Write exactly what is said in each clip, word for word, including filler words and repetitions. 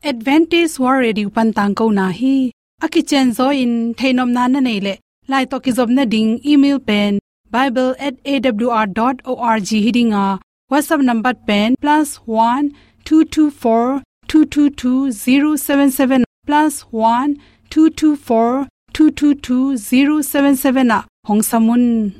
Adventist World Radio pan tangkona hi. A kicianzaw in theihnopna na neih leh, lai tawh kizopna ding email pen bible at A W R dot org hi ding a, WhatsApp number pen plus one two two four two two two zero seven seven, plus one two two four two two two zero seven seven ah hong sam un.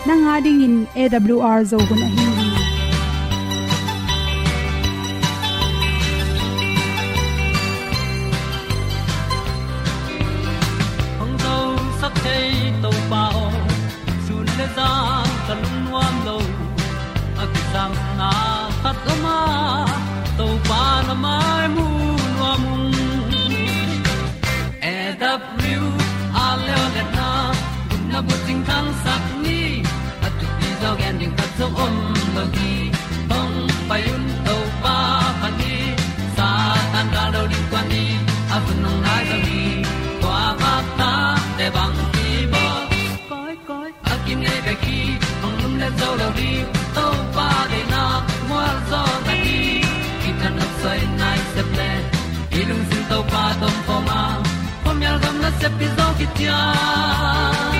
Nang a dingin A W R Zo hun ahi hi. Hong zosak thei Topa aw, sun le zan ka lungnuam lo. A kisangna khat om a, Topa na mai mu nuam ung. A W R Zo hun a, gupna bucing thangsak ni, a thupi zaw gen ding khat zong om lo hi. Hong pai un Topa phat ni, Satan gal lo ding kuan ni, a hun hong nai zaw hi. Kua bak ta te bang kibawl, koi koi a kinei bek hi. Hong lumlet zo lo ding, Topa deihna mual zaw na hi. Kithat nopsai nai sep le, i lungsim Topa tawh om khawm a, khuamial gam nasep pi zaw kician.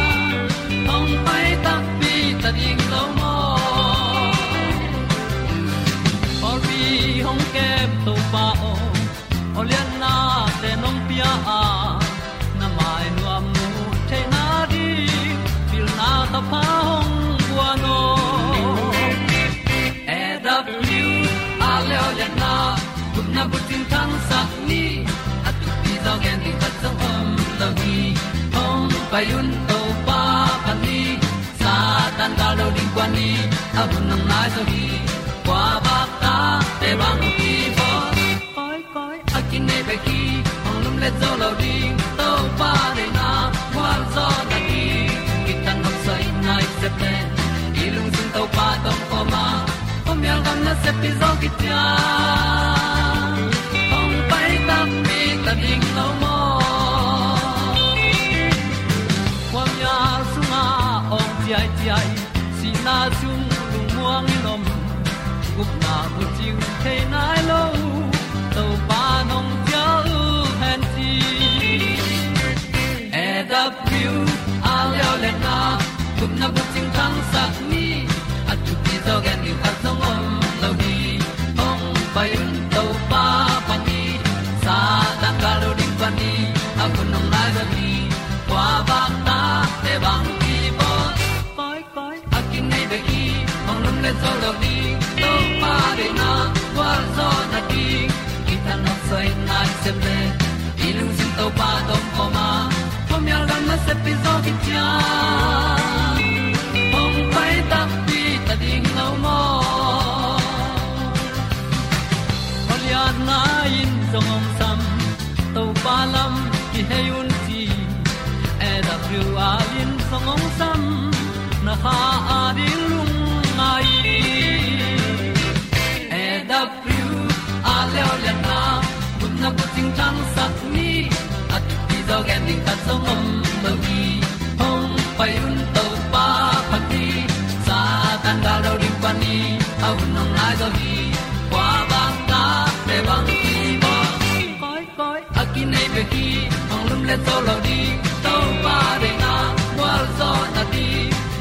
Hong pai takpi ta ding lo maw? Pawlpi hong kem Topa aw, aw lianna te nong pia a, na mai nuam mu theihna ding pilna thapha hong guan aw. A W R Zo hun a, gupna bucing thangsak ni, a thupi zaw gen ding khat zong om lo hi. Hong pai un Topa phat ni, Satan gal lo ding kuan ni, a hun hong nai zaw hi. Kua bak ta te bang kibawl, koi koi a kinei bek hi. Hong lumlet zo lo ding, Topa deihna mual zaw na hi. Kithat nopsai nai sep le, i lungsim Topa tawh om khawm a, khuamial gam nasep pi zaw kician. Hong pai takpi ta ding lo maw? Khuamial sungah awng ciaiciai, sihna sung lungmuang in om, gupna bucing thei nai lo, Topa nong cial hen ci. A W R Zo hun a, gupna bucing thangsak ni, a thupi zaw gen ding khat zong om lo hi. Hong pai un Topa phat ni, Satan gal lo ding kuan ni, a hun hong nai zaw hi. Kua bak ta te bang kibawl, koi koi a kinei bek hi. Hong lumlet zo lo ding, Topa deihna mual zaw na hi. Kithat nopsai nai sep le, i lungsim Topa tawh om khawm a, khuamial gam nasep pi zaw kician. Hong pai takpi ta ding lo maw? Aw lianna in zong hong sam, Topa lam kihei un ci. A W R in zong hong sam, na kha a ding lungngai. A W R Zo hun a, gupna bucing thangsak ni, a thupi zaw gen ding khat zong om lo hi. Hong pai un Topa phat ni, Satan gal lo ding kuan ni, a hun hong nai zaw hi. Kua bak ta te bang kibawl, koi koi a kinei bek hi. Hong lumlet zo lo ding, Topa deihna mual zaw na hi.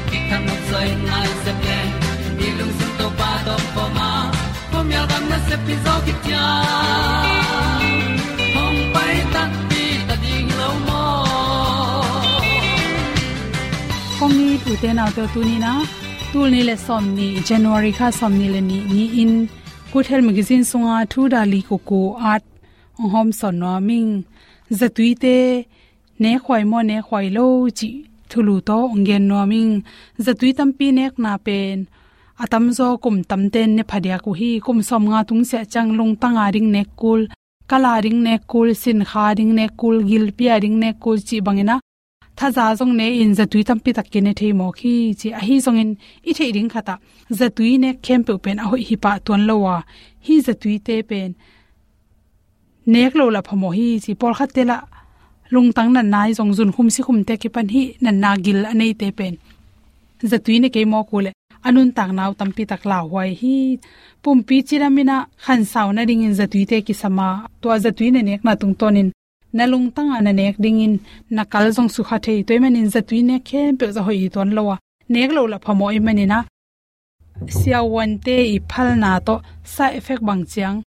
Kithat nopsai nai sep le, i lungsim Topa tawh om khawm a, khuamial gam nasep pi zaw kician. Hong pai takpi ta ding lo maw? Kong it u te nau te, tuni in a, tul nih le sawmnih, January kha sawmnih le nih ni-in, Good Health Magazine sunga thu dali kuku at hong hawmsawn nuam ing. Zatui te nekhuai maw, nekhuai lo cih thulu tawh hong gen nuam ing. Zatui tampi nekna pen a tamzaw kum tamten ne phadiak uh hi. Kum sawmnga tung siah ciang lungtang a ding nek kul, kal a ding nek kul, sinkha a ding nek kul, gilpi a ding nek kul cih bangin a thaza zong ne-in zatui tampi tak kine thei mawk hi ci. Ahi zongin i theih ding khat ah zatui nek khempeuh pen a hoih hi pah tuan lo a, hih zatuite pen nek lo lah phamawh hi ci. Pawlkhatte lah lungtang natna i zong zunkhum sikhumte kipan hih natna gil a neite pen zatui ne kei mawk uh leh a nuntakna uh tampi tak lauhuai hi. Pumpi cidam in a khansau nadingin zatuite kisam a, tua zatui na nekna tungtawnin na lungtang a na nek dingin na kal zong sukha thei. Tua ahih manin zatui nek khempeuh zah hoih hi tuan lo a, nek lo lah phamawh ahih manin a siavuante i phalna tawh side effect bang ciang,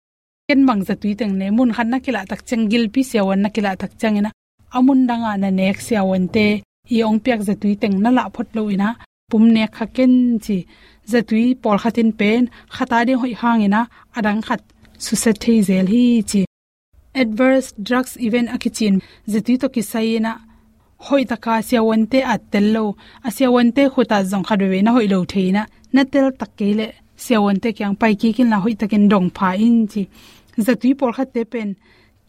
ken bang zatui teng ne, mun khat na kilah tak ciang, gilpi siavuan na kilah tak ciangin a, a mun dang a na nek siavuante i hong piak zatui teng na lah phot lo in a, pum nek kha ken ci. Zatui pawlkhat in pen khat a ding hoih hangin a, a dang khat susia thei zel hi ci. Adverse drugs event a kici in zatui tawh kisai in a, hoih taka siavuante at tel lo, a siavuante khut at zong khat veve na hoih lo thei in a, na tel tak kei leh siavuante kiang pai kik inla hoih takin dong pha in ci. Zatui pawlkhatte pen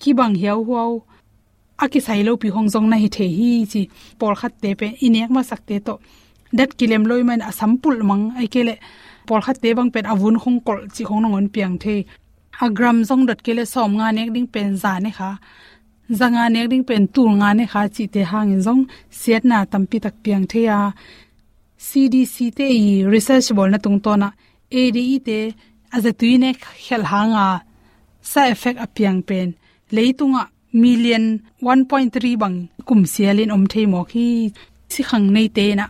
kibang hiauhuau, a kisai lopi hong zong na hi thei hi ci. Pawlkhatte pen i nek masakte tawh dat kilem lo ahih man a sam pulh mang, ahih kei leh pawlkhatte bang pen a vun khong kolh cih khong nangawn piang thei. A gram zong dot kei leh sawmnga nek ding pen za ne kha, zanga nek ding pen tulnga ne kha cihte hangin zong siatna tampi tak piang thei a, C D C te i research bawlna tungtawn ah A D E te a zatui nek khialh hanga side effect a piang pen leitungah million one point three bang kum sialin om thei mawk hi. Sikhang neite in a,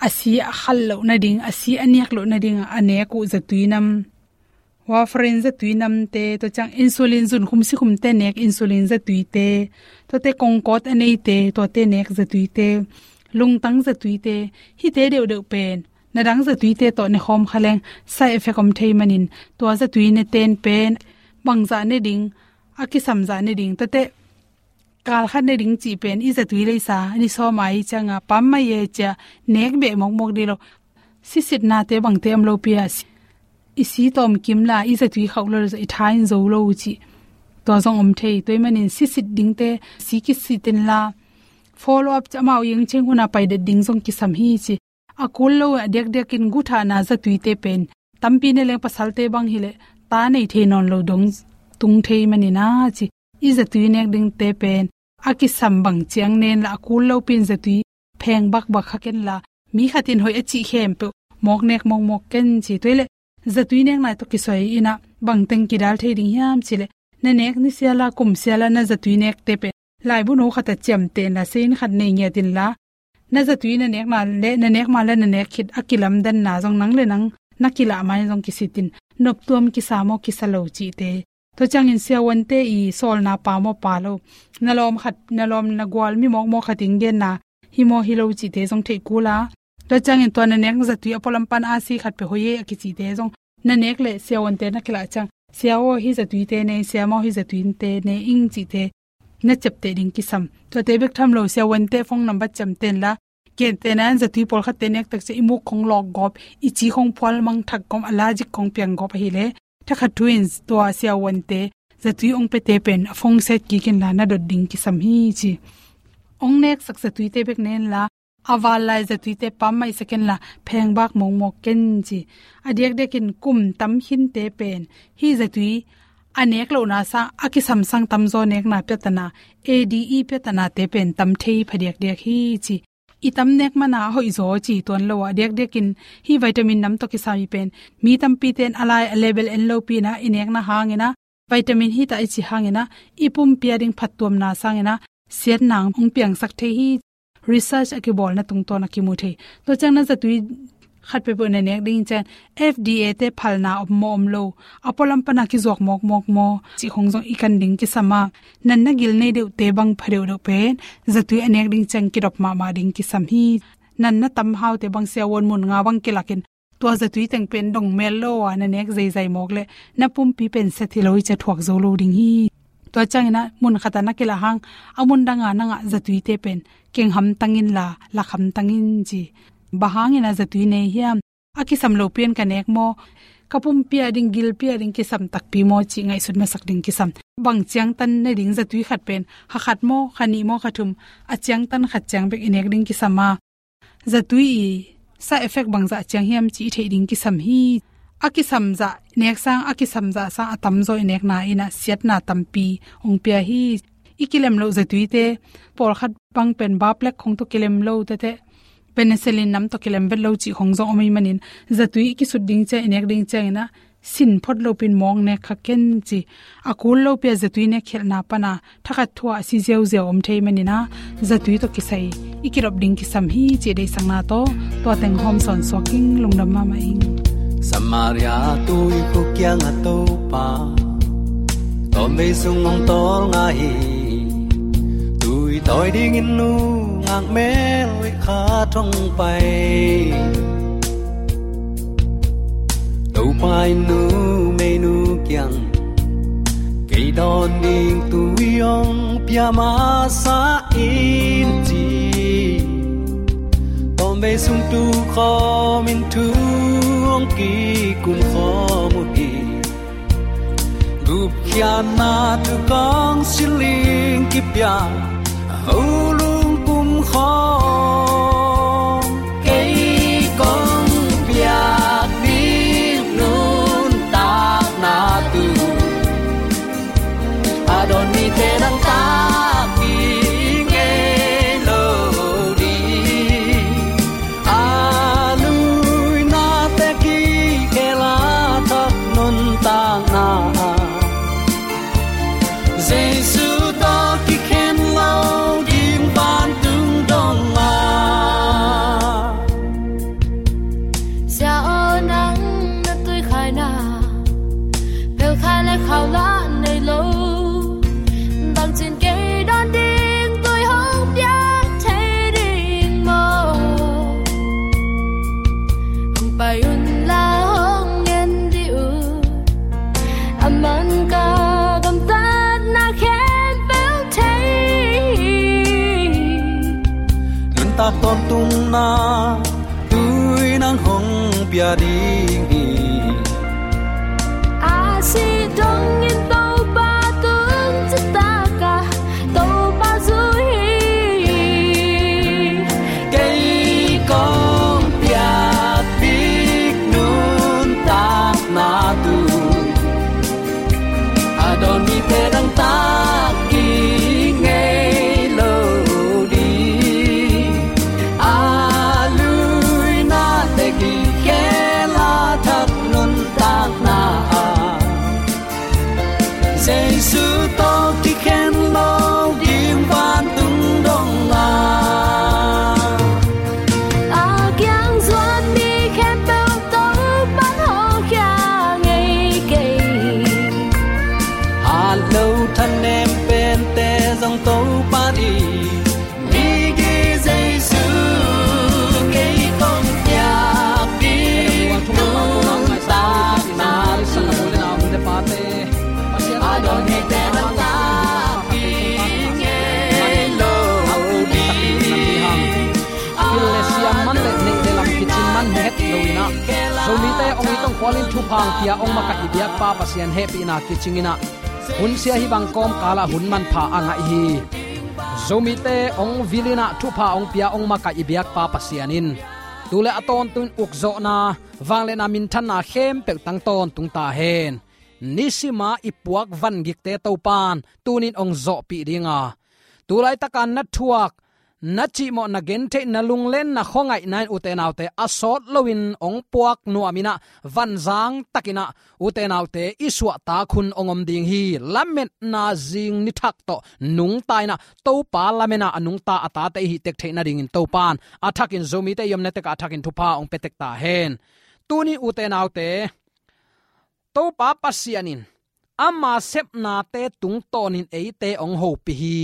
a si a khal loh nading, a si a niak loh nading a nek uh zatui nam, warfarin zatui namte, tua ciang insulin zunkhum sikhumte nek insulin zatuite, tuate kongkawt a neite, tuate nek zatuite, lungtang zatuite, hihte deuhdeuh pen na dang zatuite tawh ne khawm kha leng side effect om thei manin, tua zatui ne ten pen bangzah ne ding, a kisamzah ne ding, tuate kalkhat ne ding cih pen i zatui leisa ni sawm a i cianga pam mai e cia nek beh mawkmawk dih lo. Sisitnate bangte om lopi a, si-, i si tawm kim la i zatui khauh lo, i tha in zo lo cih tua zong om thei. Tua ahih manin sisit dingte si kisit inla, follow up cia amau iang ciang huna pai det ding zong kisam hi ci. A kul lo a diakdiakin guthahna zatuite pen tampi ne leng pasalte bang hileh ta nei thei nawn lo dong tung thei manin a ci. I zatui nek dingte pen a kisam bang ciang nen la, a kul lopi in zatui pheng bakbak kha ken la, mi khat in hoih a cih khempeuh mawk nek mawkmawk ken ci. Tua hileh zatui nek nai tawh kisai in a bangteng kidal thei ding hiam cih leh, na nek ni siala kum siala na zatui nekte pen laibu no khat a ciamteh inla, seiin khat nei ngiat inla, na zatui na nekna le na nek ma le na nek khit a kilamdanna zong nang le nang na kilah ma in zong kisitin, noptuam kisa maw kisa lo cihte. Tua ciangin siavuante i sawlna pha maw pha lo, na lawm khat, na lawm na gual mi mawkmawk khat in genna hi maw hi lo cihte zong theih kul a. Tua ciangin tua na nek zatui a pualam pan a si khat peuh hoih e a kicite zong na nek leh siavuante na kilah ciang, sia aw hih zatuite ne, sia maw hih zatuite ne ing cihte na ciapteh ding kisam. Tuate bek tham lo, siavuante phone number ciamteh inla, gentehna in zatui pawlkhatte nek tak ciang i muk khong lawk gawp, i ci khong phual mang thak gawp, a lajik khong piang gawp ahileh, thakhat thu in tua siavuante zatui ong pete pen a phone set kik inla na dot ding kisam hi ci. Ong neksak zatuite bek ne inla, a val lai zatuite pam maisak inla, pheng bak mawkmawk ken ci. A diakdiakin kum tam khinte pen hih zatui a nek lohna sang, a kisam sang tamzaw nekna piatana, A D E piatanate pen tam thei phadiakdiak hi ci. I tam nek mana a hoihzaw ci tuan lo a, diakdiakin hih vitamin nam tawh kisam i pen mi tampite in a lai a level en lopi in a, i nekna hangin a, vitamin hi ta i ci hangin a, i pumpi a ding phattuamna sangin a, siatna hong piangsak thei hi. Research a kibawlna tungtawn a kimu thei. Tua ciang na zatui khat peuhpeuh na nek ding ciang F D A te phalna om maw om lo, a pualam pana kizuak mawkmawk maw cih khong zong i kan ding kisam a, natna gil nei deuhte bang pha deuhdeuh pen zatui a nek ding ciang kidop mahmah ding kisam hi. Natna tam haute bang siavuan mun nga bang kilakin tua zatui teng pen dong mel lo a na nek zeizai mawk leh na pumpi pen set hi lo hi ci a thuak zo lo ding hi. Tua ciangin a mun khat a na kilah hang, a mun dang a na ngah zatuite pen keng hamtang inla, lak hamtang in ci. Bang hangin a zatui nei hiam? A kisam lopi-in ka nek maw, ka pumpi a ding, gilpi a ding kisam takpi maw cih ngaihsut masak ding kisam. Bang ciangtan ne ding zatui khat pen, kha khat maw, kha nih maw, kha thum, a ciangtan khat ciang bek i nek ding kisam a. Zatui i side effect bangzah ciang hiam cih i theih ding kisam hi. A kisam zah nek sang, a kisam zah sang a tamzaw i nekna in ah siatna tampi hong pia hi. I kilem loh zatuite, pawlkhat bang pen baplek khong tawh kilem lo tete, penicillin nam tawh kilem vet lo cih khong zong om ahih manin, zatui i kisut ding ciang, i nek ding ciangin ah, sin phot lopi-in mawng nek kha ken ci. A kul lopi a zatui nek khialhna pan a thakhat thu-ah si ziauziau om thei manin ah, zatui tawh kisai i kilop ding kisam hi cih deihsakna tawh tua teng hawm sawn suak ing. Lungdam mahmah ing. Samaria tuikhuk kiangah Topa tawmvei sung hong tawlnga hi. Tui tawi dingin nungak mel khat hong pai. Topa in numeinu kiang, kei dawn ding tui hong pia masa in ci. Tawmvei sung tu khawmin thu hong kikum khawm uh hi. Gupkhiatna thu kong siling kipia, a ho lungpum khawng kei kong piak ding nuntakna thu. A dawn mite dangtak ding ngei lo ding. A luinate kikhel a thak nuntakna ah, Jesu tawh kikhen lo ding vantung dong ah. Sia aw, nang na tuikhaina, phelkhai le khau lah nei lo. Bangcin kei dawn ding tui hong piak thei ding maw? Hong pai un la, hong ngen dih un. A man ka gamtatna khempeuh thei. Nuntak tawntungna tui nang hong pia ding hi. A sih dongin Topa tung citak a, Topa zui hi. Kei kong piak ding nuntakna thu. A dawn mite dangtak ding ngei lo ding. A luinate kikhel a thak nuntakna ah, Jesu tawh kikhen lo ding vantung dong ah. A kiang zuan mi khempeuh Topa'n hawlkhia ngei kei. Hat lo thanem pente zong Topa in, migi Jesu kei kong piak ding nuntakna thu. A dawn mite dangtak ding ngei lo ding. Pil le siam man le neih le lam kicing man het lo in ah, Zomite hong it hong khualin thupha hong pia hong makaih i biakpa Pasian hehpihna kicing in ah, hun sia hih bang kawmkal ah hun manpha a ngah hi. Zomite hong vil in ah thupha hong pia hong makaih i biakpa Pasian in tu le a tawntung ukzawhna, vangliatna minthanna khempeuh tang tawntung ta hen. Nisim a i puak vangikte Topa'n tuni-in hong zawhpih ding a, tu laitak a na thuak, na cihmawh, na gentheih, na lunglen, na khuangaihna in, ute naute, a sawt loin hong puak nuam in ah, vanzang takin ah ute naute i suahtak hun hong om ding hi. Lametna zing ni thak tawh nungta in ah, Topa lamen a a nungta a tate i hih tek theih nadingin Topa'n a thakin, Zomite i omna tek ah a thakin thupha hong pia tek ta hen. Tuni, ute naute, Topa Pasian in ama sepnate tungtawnin eite hong hopih hi.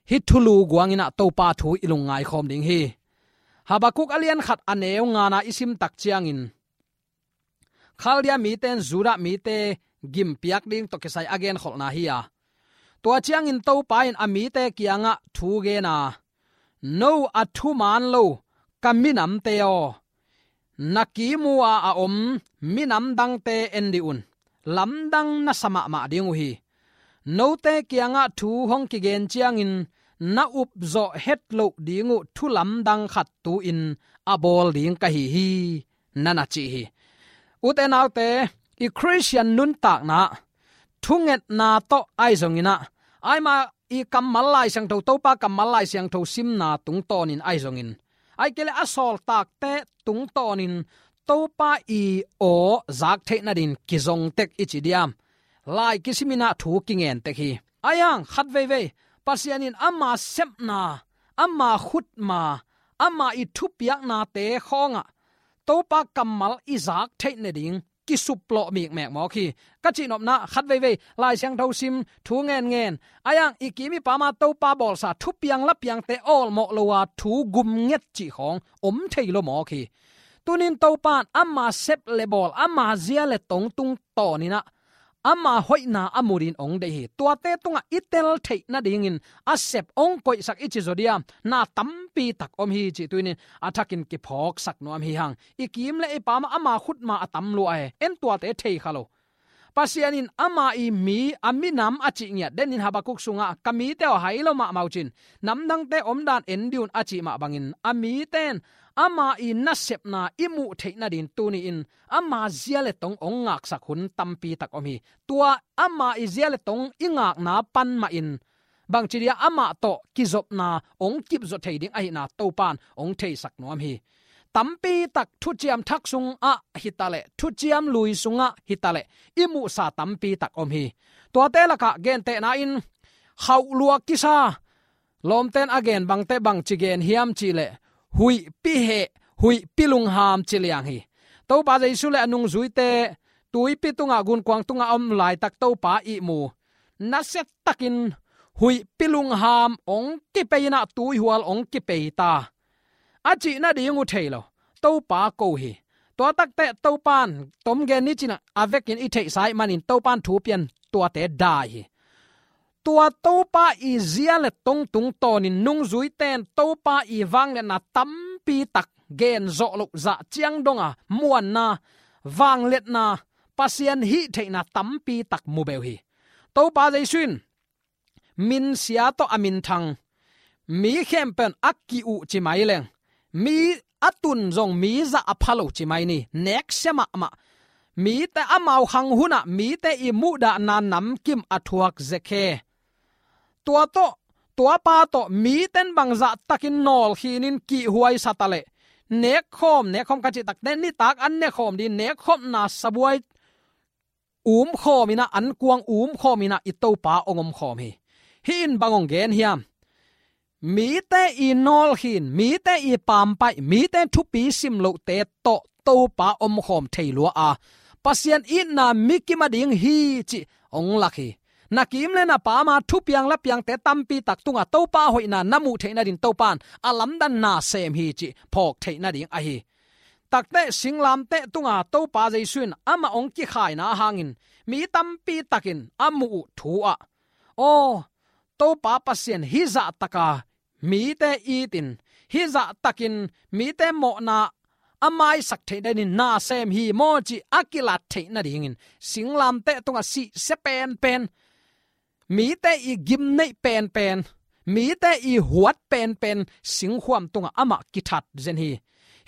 Hih thulu guang in ah Topa thu i lungngai khawm ding hi. Habakuk a lian khat a neu ngana i sim tak ciangin, Khaldia mite in Judah mite gimpiak ding tawh kisai a genkholhna hi a, tua ciangin Topa in a mite kiangah thu gen a, no a thuman lo ka minamte aw, na kiim uh a a om minam dangte en dih un. Lamdang na sa mahmah ding uh hi. Note kiangah thu hong kigen ciangin na upzawh het loh ding uh thu lamdang khat tu-in a bawl ding ka hi hi, na na ci hi. Ute naute, i Khristian nuntakna thungetna tawh ahi zongin ah, aima i kammal Lai Siangtho, Topa kammal Lai Siangtho simna tungtawnin ahi zongin, aike le a sawltakte tungtawnin Topa i aw zak theih nadin kizong tek i ci diam? Lai kisimin ah thu kingen tek hi. Ahi hang khat veivei, Pasian in ama sepna, ama khutma, ama i thupiaknate khawngah Topa kammal i zak theih nading kisuplawh mikmek mawk hi. Ka cihnopna, khat veivei Lai Siangtho sim, thu ngenngen, ahi hang i kim i pama Topa bawlsa thupiang lapiangte awlmawh lo a thu gumnget cih khawng om thei lo mawk hi. Tunin Topa in ama sep le bawl, ama zia le tong tungtawnin ah ama hoihna a mu dingin hong deih hi. Tuate tungah i tel theih nadingin a sep hong koihsak i ci zaw diam? Na tampi tak om hi cih tunin a thakin kiphawksak nuam hi hang. I kim le i pama ama khutma a tam lua hi. En tuate thei kha lo. Pasian in ama i mi, a minam a cih ngiat denin Habakuk sungah, ka mite aw, hai lo mahmah uh cin, namdangte omdan en dih un, a cih mah bangin a mite in ama i nasepna i muh theih nadin tuni-in ama zia le tong hong ngaksak hun tampi tak om hi. Tua ama i zia le tong i ngakna pan mahin bangci dia amah tawh kizopna hong kipzaw thei ding ahihna Topa in hong theisak nuam hi. Tampi tak thuciam thak sungah hitaleh, thuciam lui sungah hitaleh, i muhsa tampi tak om hi. Tuate lakah gentehna in khauh lua kisa, lawmten a gen bangte bangci gen hiam cihleh, huihpi heh, huihpi lungham ci liang hi. Topa Jesu le a nungzuite tuipi tungah, gunkuang tungah a om laitak Topa ihmu, nasiatakin huihpi lungham hong kipei in ah tuihual hong kipei ta, a cih nading uh thei lo. Topa ko hi. Tua takteh Topa in, tom gen ni cin ah, a vekin i theihsa ahih manin Topa in thu pian tuate dai hi. Tua Topa i zia le tong tungtawnin nungzuite in Topa i vangliatna tampi tak gen zawh loh, zah ciang dong a muanna, vangliatna, Pasian hih theihna tampi tak mu beuh hi. Topa Jesu in minsia tawh a minthang mi khempeuh in a ki-uh ci mai leng, mi a tun zong mi zah a pha lo ci mai ni, neksia mahmah. Mite amau khang hunah mite i muhdahna namkim a thuak zekhe. Tua tawh, tuapa tawh mite in bangzah takin nawlkhinin kihhuaisa taleh, nekkhawm, nekkhawm ka cih takteh nitak an nekhawm ding, nekkhopna sabuai umkhawm in ah, ankuang umkhawm in ah i Topa hong omkhawm hi. Hih in bang hong gen hiam? Mite i nawlkhin, mite i pampaih, mite thupi sim lohte tawh Topa omkhawm thei lua a, Pasian itna mikim a ding hi cih hong lak hi. Na kim le na pama thupiang lapiangte tampi tak tungah Topa hoihna na muh theih nadin Topa in a lamdan na sem hi cih phawk theih nading ahi. Takteh singlamteh tunga Topa Jesu in amah hong kikhaina hangin mi tampi takin a muh uh thu ah, aw, Topa Pasian hih zah taka mite itin, hih zah takin mite mawhna a maisak theih nadin na sem hi maw cih a kilat theih nadingin singlamteh tungah sihsia penpen, mite i gimneih penpen, mite i huat penpen singkhuam tungah amah kithat zen hi.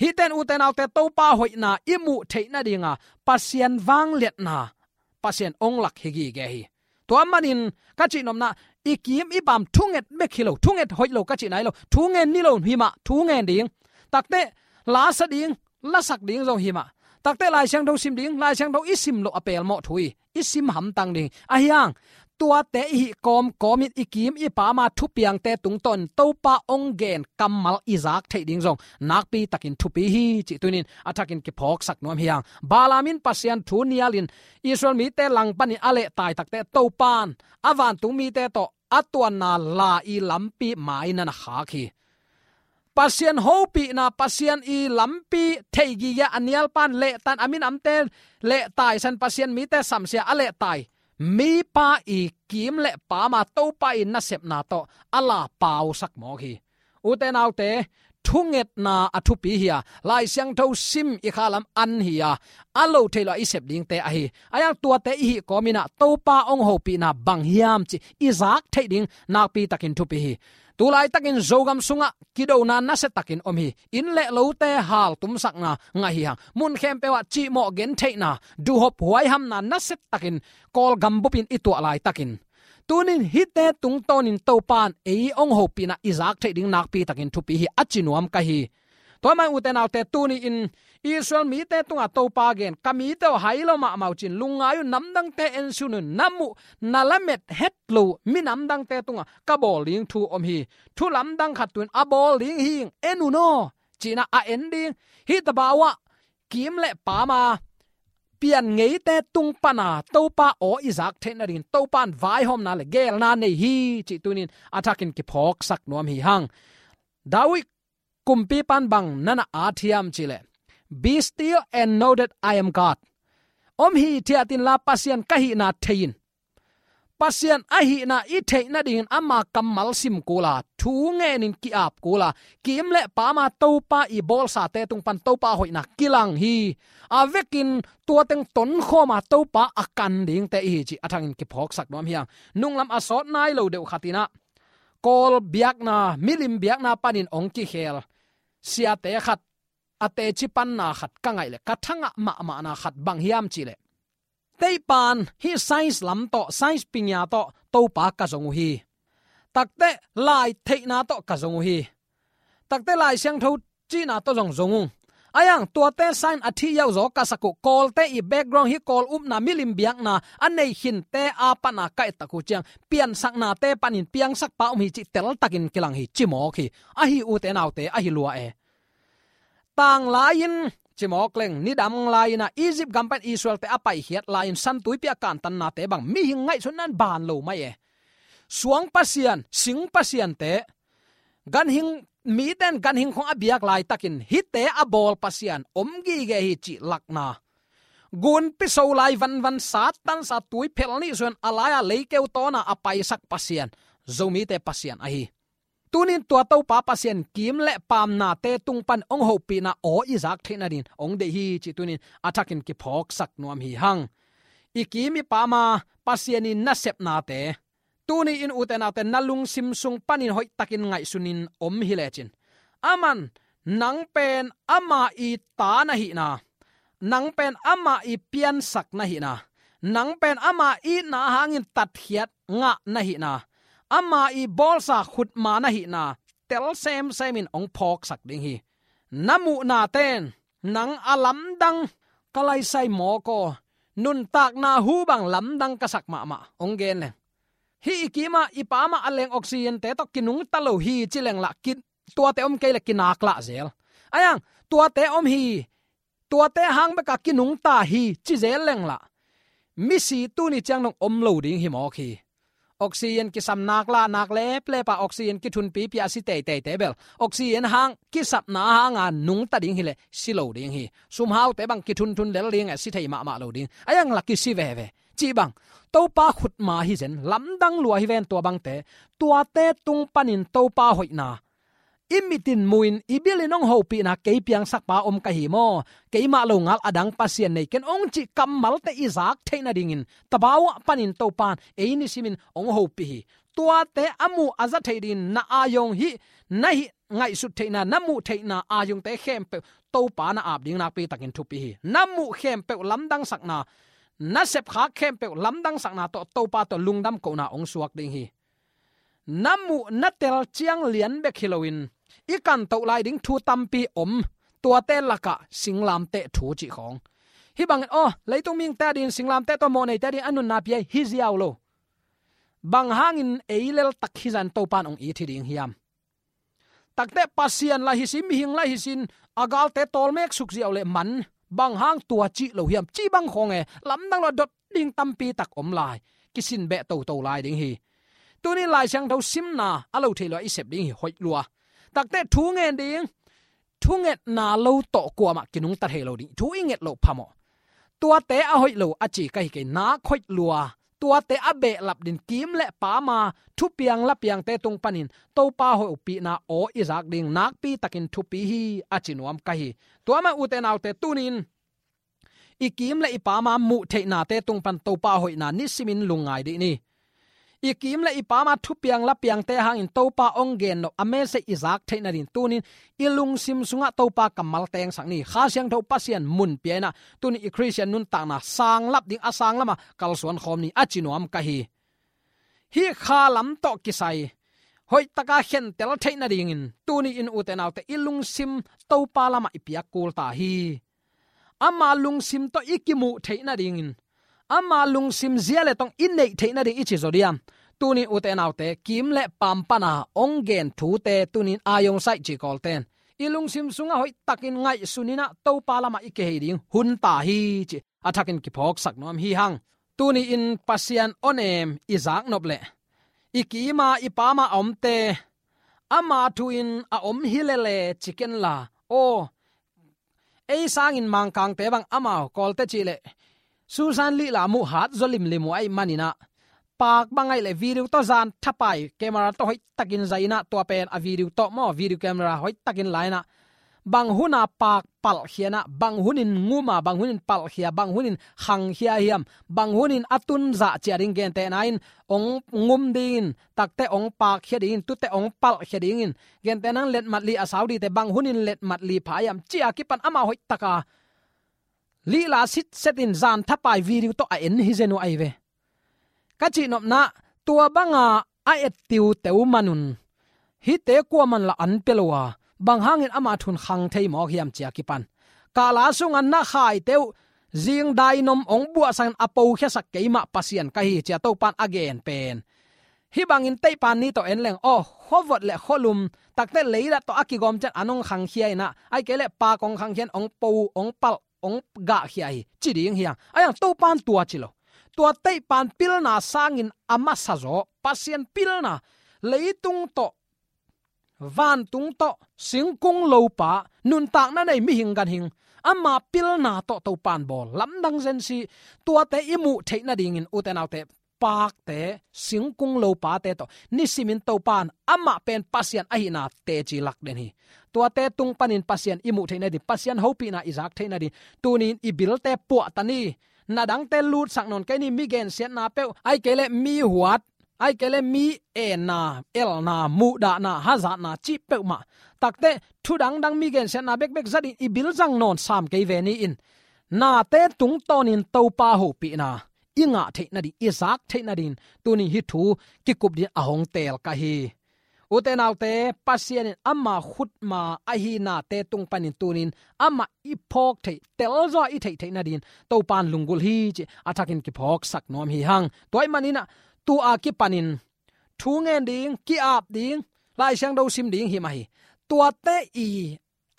Hihte in ute naute, Topa hoihna i muh theih nadinga Pasian vangliatna, Pasian hong lak hi gige hi. Tua manin ka cihnopna, i kim i pam thunget bek hi lo, thunget hoih lo ka cihna hi lo, thu ngen ni lo hi mah, thu ngen ding. Takteh lasa ding, lasak ding zong hi mah. Takteh Lai Siangtho sim ding, Lai Siangtho i sim loh a pelmawh thu hi. I sim hamtang ding. Ahi hang tuate i hih kawmkawmin i kim i pama thupiangte tungtawn Topa hong gen kammal i zak theih ding zong nakpi takin thupi hi cih tunin a thakin kiphawksak nuam hi hang. Balaam in Pasian thu nialin Israel mite langpanin a lehtai takteh Topa in a vantung mite tawh a tuanna la i lampi mai na na khak hi. Pasian hopihna, Pasian i lampi thei gige a nialpan lehtan, a minamte lehtaisan, Pasian mite samsia a lehtai mipa i kim le pama Topa i nasepna tawh a la pausak mawk hi. Ute naute, thungetna a thupi hi a, Lai Siangtho sim i khalam an hi a, a lo thei lo a i sep dingte ahi. A hiang tuate i hih kawmin ah Topa hong hopihna bang hiam cih i zak theih ding nakpi takin thupi hi. Tulaitakin Zogam sungah kidona nasia takin om hi. Inn le lote haltumsakna ngah hi hang. Mun khempeuh ah cihmawh gentheihna, duhhop huaihamna nasia takin Kawlgam bupin i tuah laitakin, tunin hihte tungtawnin Topan ei hong hopihna i zak theih ding nakpi takin thupi hi a ci nuam ka hi. Tua mah ute naute, tuni-in Israel mite tungah Topa gen, ka mite aw, hai lo mahmah uh cin, lungngai un, namdangte ensun un, na muh na lamet het lo minamdangte tungah ka bawl ding thu om hi. Thu lamdang khat tuin a bawl ding hi, en un aw, ci-in ah a en ding. Hih tabau ah kim le pam a pian ngeite tung pana Topa aw i zak theih nadingin Topan vaihawmna le geelna nei hi cih tunin a thakin kiphawksak nuam hi hang. David kumpipan bang na na at hiam cih leh, "Be still and know that I am God." Om hithiat inla Pasian ka hihna thei in. Pasian ahihna i theih nadingin ama kammal sim kul a, thu ngenin ki-ap kul a, kim le pam a Topa i bawlsate tung pan Topa hoihna kilang hi. A vekin tua teng tonkhawm a Topa a kan dingte i hi cih a thangin kiphawksak nuam hi hang. Nunglam a sawt nai lo deuh khat in ah, Kawl biakna, milim biakna panin hong kikhel siate khat, a teci panna khat ka ngaih leh ka thangah mahmahna khat bang hiam cih leh, "Teipan hih science lam tawh, science pingya tawh Topa ka zong uh hi. Takteh lai theihna tawh ka zong uh hi. Takteh Lai Siangtho cihna tawh zong zong ung. A hiang tuate science a thih yauh zaw ka sak uh, Kawlte i background, hih Kawl upna, milim biakna a nei khinte a pana ka et tak uh ciang piansaknate panin piangsakpa om hi cih teltakin kilang hi," ci mawk hi. Ahi ute naute, ahi lua e. Tanglai-in, ci mawk leng, nidang lai-in ah Egypt gam pan Israelte a paikhiat lai-in San Tuipi a kantannate bang mihing ngaihsutna in ban lo mai e. Suang pasian, sing pasiante, ganhing, mite in ganhing khong a biak laitakin hihte a bawl Pasian om gige hi cih lakna, gunpi so lai vanvan Satan sa tui phel nih suan a lai-a leikeu tawna a paisak Pasian, Zomite Pasian ahi. Tunin tua Topa Pasian kim le pamnate tung pan hong hopihna aw i zak theih nadingin hong deih hi cih tunin a thakin kiphawksak nuam hi hang. I kim i pam a Pasian i nasepnate, tuni-in ute naute, na lungsim sung panin hoihtakin ngaihsunin om hi lecin, aman nang pen ama i ta na hihna, nang pen ama i piansak na hihna, nang pen ama itna hangin tatkhiat ngah na hihna, ama i bawlsa khutma na hihna tel semsemin hong phawksak ding hi. Na muhnaten nang a lamdang, ka laisai mawk aw, nuntakna hu bang lamdang ka sak mahmah, hong gen leng, hih i kim a i pam a a leng oxygente tawh kinungta lo hi ci leng lah, ki, tuate om kei leh kinak lah zel. A hiang tuate om hi, tuate hang beka kinungta hi ci zel leng lah, misi tuni ciang dong om lo ding hi mawk hi. Oxygen kisam nak lah nak leplep a, oxygen kithunpipi a si teiteite bel, oxygen hang, kisapna hanga nungta ding hi leh si lo ding hi. Sumhaute bang kithunthun lel ding e, si thei mahmah lo ding. A hiang lah kisi veve. Cih bang Topa khutma hi zen, lamdang lua hi ven tua bangte. Tuate tung panin Topa hoihna i mitin mu-in, i bilin hong hopihna kei piangsakpa om ka hi maw, keimah lo ngal a dang Pasian nei ken hong cih kammalte i zak theih nadingin tabau ah panin Topan ei nisimin hong hopih hi. Tuate a muh a za theih dingin na aa-ong hih, na hih ngaihsut theihna, na muh theihna aa-ongte khempeuh Topa na ap ding nakpi takin thupi hi. Na muh khempeuh lamdangsakna, na sepkhak khempeuh lamdangsakna tawh Topa tawh lungdam kohna hong suak ding hi. Na muh na tel ciang lian bek hi loin i kantoh lai ding thu tampi om, tuate lakah singlamteh thu cih khawng. Hih bangin, aw, leitung mihingte adingin singlamteh tawh mawhneite adingin a nunna pia hi, hi ziau lo. Bang hangin ei leltak hi zan Topan hong it hi ding hiam? Takteh Pasian lah hi sin, mihing lah hi sin, a galte tawlmek suk ziau leh man, bang hang tua cih lo hiam, cih bang khawng e, lamdang lo a dot ding tampi tak om lai, kisin beh toto lai ding hi. Tuni Lai Siangtho simna a lo thei lo a i sep ding hi, hoih lua. Takteh thu ngen ding, thungetna lo tawh kuamah kinungta thei lo ding, thu i nget loh phamawh. Tuate a hoih lo a ci ka hi kei, nak hoih lua. tuate a behlap ding, kim le paam a thupiang lapiangte tung panin Topa hopihna aw i zak ding nakpi takin thupi hi, a ci nuam ka hi. Tua mah ute naute, tunin i kim le i paam a muh theihnate tung pan Topa hoihna nisimin lungngai dih ni. I kim le i paam a thupiang lapiangte hangin Topa hong gen nop a message i zak theih nading tunin i lungsim sungah Topa kammal tengsak ni. Kha Siangtho Pasian mun pia in ah tunin i Khristian nuntakna sanglap ding a sanglam ah kalsuan khawm ni, a ci nuam ka hi. Hih kha lam tawh kisai hoihtaka khentel theih nadingin tuni in ute naute i lungsim Topa lamah i piak kul ta hi. Ama lungsim tawh i kimuh theih nadingin, ama lungsim zia le tong i neih theih nading i ci zaw diam? Tuni ute naute, kim le paam pana hong gen thute tunin a hong saih ci kawlten i lungsim sungah hoihtakin ngaihsun in ah Topa lamah i kihei ding hun ta hi ci a thakin kiphawksak nuam hi hang. Tuni in Pasian awnem i zak nop leh i kima i paama a omte ama thu in a om hi lele ci ken la, aw, ei sangin Mangkangte bang amau kawlte cih leh Susan Lila muh hat zaw limlim uh ahih manin ah, paak bang ahih leh video tawh zan thapai camera tawh hoihtakin zai in ah tua pen a video tawh maw, video camera hoihtakin la in ah bang hun a paak palhkhia in ah, bang hunin ngum a, bang hunin palhkhia, bang hunin khangkhia hiam, bang hunin a tun zah ciah ding gentehna in hong ngum dingin, takte hong paakkhia dingin, tute hong palhkhia dingin, gentehna in letmat li a sau dite bang hunin letmat li pha hiam, ci a kipan amau hoihtaka Lila sitset in zan thapai video tawh a en hi zen uh ahi ve. Ka cihnopna, tua banga a et tiuteu man un hihte kuaman la an pia lo a, bang hangin ama thu in khang thei mawk hiam ci a kipan, kala sungah na khaite uh zingdai nom hong buahsak in a pokhiasak keimah Pasian ka hi ci a Topan a gen pen, hih bangin teihpan ni tawh en leng, aw, khuavot le khualum, takte leidah tawh a kigawm ciang an hong khangkhia in ah, ahih kei leh paak hong khangkhia in hong po, hong palh, hong gahkhia hi ci ding hi hang. Ahi hang Topan tua ci lo. Tua teihpan pilna sangin a masa zaw Pasian pilna, leitung tawh, vantung tawh, singkung lopa, nuntakna nei mihing ganhing, ama pilna tawh Topan bawl lamdang zen si. Tuate i muh theih nadingin ute naute, paakte, singkung lopate tawh nisimin Topan amah pen Pasian ahihna teci lak den hi. Tuate tung panin Pasian i muh theih nading, Pasian hopihna i zak theih nading tunin i bilte puahta ni. Na dangte lutsak nawn kei ni, mi gensiatna peuh, ahih kei leh mi huat, ahih kei leh mi enna, elna, muhdahna, hazatna cih peuhmah, takte thu dangdang mi gensiatna bekbek zatin i bil zang nawn sam kei ve ni in, nate tungtawnin Topa hopihna i ngah theih nading, i zak theih nading tunin hih thu kikup dingin a hong teel ka hi. Ute naute, Pasian in ama khutma ahi nate tung panin tunin amah i phawk theih, telzaw a i theih theih nadingin Topan lunggulh hi cih a thakin kiphawksak nuam hi hang. Tua ahih manin ah, tu a kipanin thu ngen ding, ki-ap ding, Lai Siangtho sim ding hi mah hi. Tuate i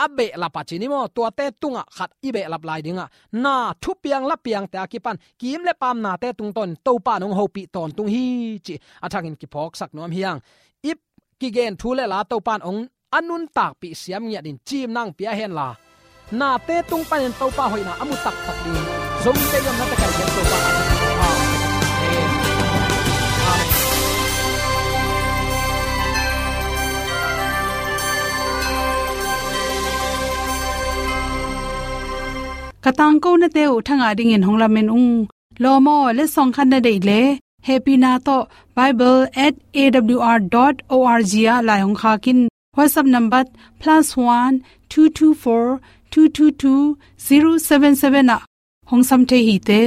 a behlap a ci ni maw, tuate tungah khat i behlap lai dingah, na thupiang lapiangte a kipan kim le paam nate tungtawn Topan hong hopih tawntung hi cih a thakin kiphawksak nuam hi hang. I kigen thu le la Topan hong a nuntakpih siam ngiat in cimna hong pia hen la, nate tung panin Topa hoihna a mu taktak ding zong te yom na te kai gen Topa. Amen. Amen. Ka tangko nate uh thangah dingin hong lamen ung. Lawm aw, letsong khat na deih leh hehpihna tawh bible at A W R dot O R G ah lai hong khak in. WhatsApp number plus one two two four two two two zero seven seven ah hong sam thei hi te.